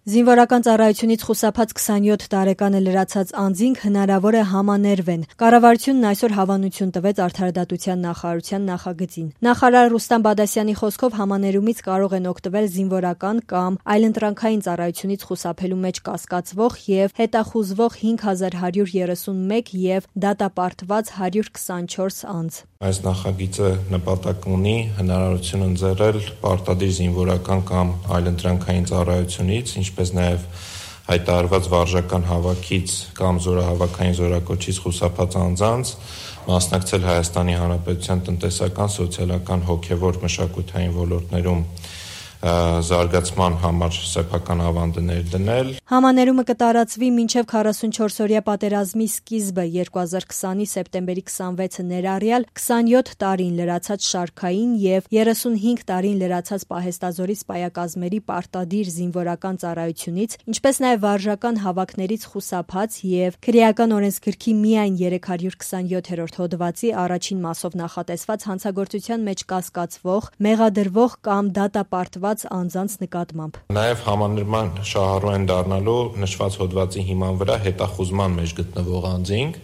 Զինվորական ծառայությունից խուսափած 27 տարեկանը լրացած անձինք հնարավոր է համաներվեն։ Կառավարությունն այսօր հավանություն տվեց Արդարադատության նախարարության նախագծին։ Նախարար Ռուստամ Բադասյանի խոսքով համաներումից կարող են օգտվել զինվորական կամ այլընտրանքային ծառայությունից խուսափելու մեջ կասկածվող եւ հետախուզվող 5131 եւ դատապարտված 124 անձ։ Այս նախագիծը նպատակ ունի հնարավորություն ընձեռել պարտադիր զինվորական կամ այլընտրանքային ծառայությունից, ինչպես նաև հայտարարված վարժական հավաքից կամ զորահավաքային զորակոչից խուսափած անձանց մասնակցել Հայաստանի Հանրապետության տնտեսական, սոցիալական, հոգևոր, մշակութային ոլորտներում զարգացման համար սեփական ավանդներ դնել։ Համաներումը կտարածվի մինչև 44-օրյա պատերազմի սկիզբը 2020-ի սեպտեմբերի 26-ը ներառյալ 27 տարին լրացած շարքային եւ 35 տարին լրացած պահեստազորի սպայակազմերի պարտադիր զինվորական ծառայությունից, ինչպես նաև վարժական հավաքներից խուսափած եւ քրեական օրենսգրքի միայն 327-րդ հոդվածի առաջին մասով նախատեսված հանցագործության մեջ կասկածվող, մեղադրվող կամ դատապարտված անձանց նկատմամբ։ Նաև համաներման շահառու են դառնալու նշված հոդվածի հիման վրա հետախուզման մեջ գտնվող անձինք։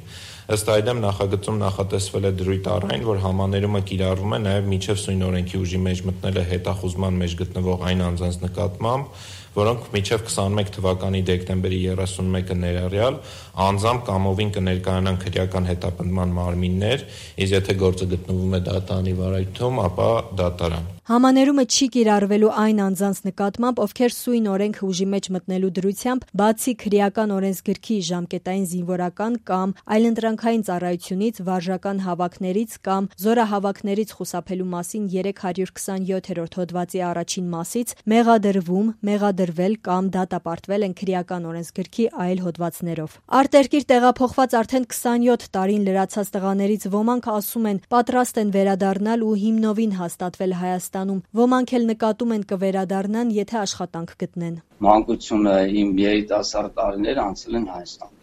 Ըստ այդմ նախագծում նախատեսվել է դրույթ առ այն, որ համաներումը կիրառվում է նաև մինչև սույն օրենքի ուժի մեջ մտնել է հետախուզման մեջ գտնվող այն անձանց նկատմամբ, որոնք մինչև 21 թվականի դեկտեմբերի 31-ը ներառյալ անձամբ կամովին կներկայանան քրեական հետապնդման մարմիններ, իսկ եթե գործը գտնվում է դատարանի վարայթում, ապա դատարան։ Համաներումը չի կիրառվելու այն անձանց նկատմամբ, ովքեր սույն օրենքը ուժի մեջ մտնելու դրությամբ, բացի քրեական օրենսգրքի ժամկետային զինվորական կամ այլընտրանքային ծառայությունից, վարժական հավաքներից կամ զորահավաքներից խուսափելու մասին 327-րդ հոդվածի առաջին մասից մեղադրվում, մեղադրվել կամ դատապարտվել են քրեական օրենսգրքի այլ հոդվածներով։ Արտերկիր տեղափոխված արդեն 27 տարին լրացած տղաներից ոմանք ասում են պատրաստ են վերադառնալ ու հիմնովին հաստատվել Հայաստանում, ոմանք էլ նկատում են կվերադառնան, եթե աշխատանք գտնեն։ Մանկությունը իմ երիտասարդ տարիներ անցել են Հայաստան։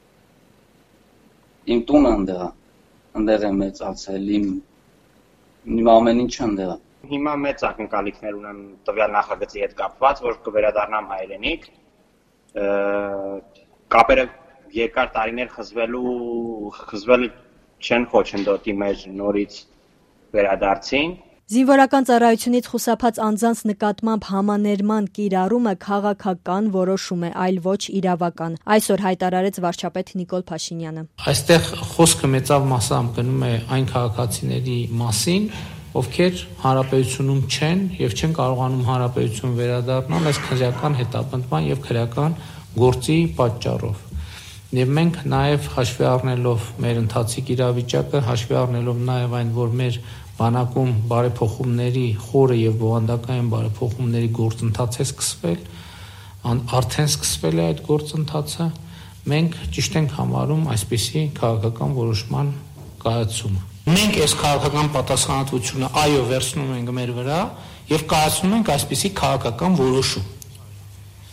Իմ տունը ընդեղ եմ մեծացել, իմ ամեն ինչը ընդեղ է։ Հիմա մեծ ակնկալիքներ ունեմ տվյալ նախագծի հետ կապված, որ կվերադառնամ հայրենիք։ Կապերը երկար տարիներ խզվել չեն խոչընդոտի մեջ նորից վերադարձին։ Զինվորական ծառայությունից խուսափած անձանց նկատմամբ համաներման կիրառումը քաղաքական որոշում է, այլ ոչ իրավական, այսօր հայտարարեց վարչապետ Նիկոլ Փաշինյանը։ Այստեղ խոսքը մեծավ մասամբ գնում է այն քաղաքացիների մասին, ովքեր հանրապետությունում չեն եւ չեն կարողանում հանրապետություն վերադառնալ այս քրեական հետապնդման եւ քրեական գործի պատճառով։ Եվ մենք նաեւ հաշվի առնելով մեր ընթացիկ իրավիճակը, հաշվի առնելով նաեւ այն, որ մեր բանակում բարեփոխումների խորը եւ բովանդակային բարեփոխումների գործընթաց է սկսվել, արդեն սկսվել է այդ գործընթացը, մենք ճիշտ ենք համարում այսպիսի քաղաքական որոշման կայացումը։ Մենք այս քաղաքական պատասխանատվությունը այո վերցնում ենք մեր վրա եւ կայացնում ենք այսպիսի քաղաքական որոշում։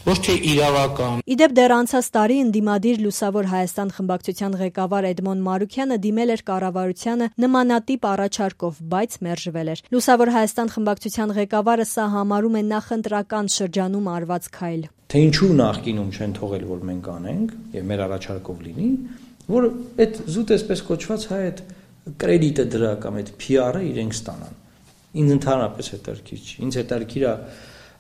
Ոչ թե իրավական։ Իդեպ դեռ անցած տարի ընդդիմադիր Լուսավոր Հայաստան խմբակցության ղեկավար Էդմոն Մարուքյանը դիմել էր կառավարությանը նմանատիպ առաջարկով, բայց մերժվել էր։ Լուսավոր Հայաստան խմբակցության ղեկավարը սա համարում է նախընտրական շրջանում արված քայլ։ Թե ինչու նախկինում չեն թողել, որ մենք անենք եւ մեր առաջարկով լինի, որ այդ զուտ այսպես կոչված հայ այդ կրեդիտը դրա կամ այդ PR-ը իրենք ստանան։ Ինձ ընդհանրապես հետաքրքիր չի։ Ինձ հետաքրքիր է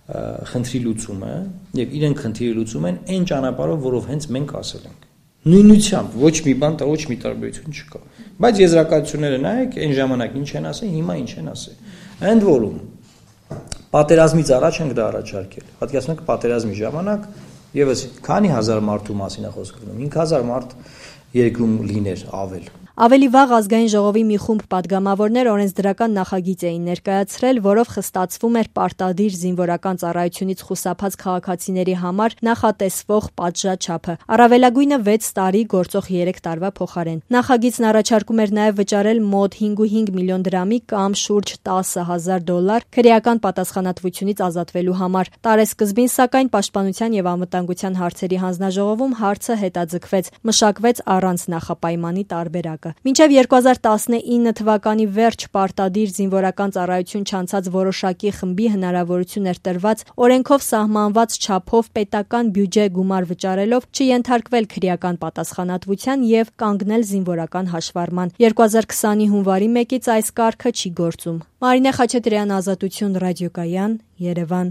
խնդրի լուծումը եւ իրենք խնդրի լուծում են այն ճանապարհով, որով հենց մենք ասել ենք։ Նույնությամբ ոչ մի բան, ոչ մի տարբերություն չկա։ Բայց եզրակացությունները նայեք, այն ժամանակ ինչ են ասել, հիմա ինչ են ասել։ Ընդ որում պատերազմից առաջ ենք դա առաջարկել։ Պատկերացնեք պատերազմի ժամանակ եւս քանի հազար մարդու մասին է խոսքը գնում։ 5000 մարդ երկրում լիներ ավել։ Ավելի վաղ ազգային ժողովի մի խումբ падգամավորներ օրենսդրական նախագիծ էին ներկայացրել, որով խստացվում էր պարտադիր զինվորական ծառայությունից խուսափած քաղաքացիների համար նախատեսվող պատժաչափը, առավելագույնը 6 տարի գործող 3 տարվա փոխարեն։ Նախագիծն առաջարկում էր նաև վճարել մոտ 5.5 միլիոն դրամի կամ շուրջ $10,000 քրեական պատասխանատվությունից ազատվելու համար։ Տարեսկզբին, սակայն, Պաշտպանության եւ անվտանգության հարցերի հանձնաժողովում հարցը հետաձգվեց, մշակվեց առանց նախապայմանի տարբերակ։ որոշակը։ Մինչև 2019 թվականի վերջ պարտադիր զինվորական ծառայություն չանցած որոշակի խմբի հնարավորություն էր տրված օրենքով սահմանված չափով պետական բյուջե գումար վճարելով չենթարկվել քրեական պատասխանատվության եւ կանգնել զինվորական հաշվառման։ 2020-ի հունվարի 1-ից այս կարգը չի գործում։ Մարինե Խաչատրյան, Ազատություն ռադիոկայան, Երևան։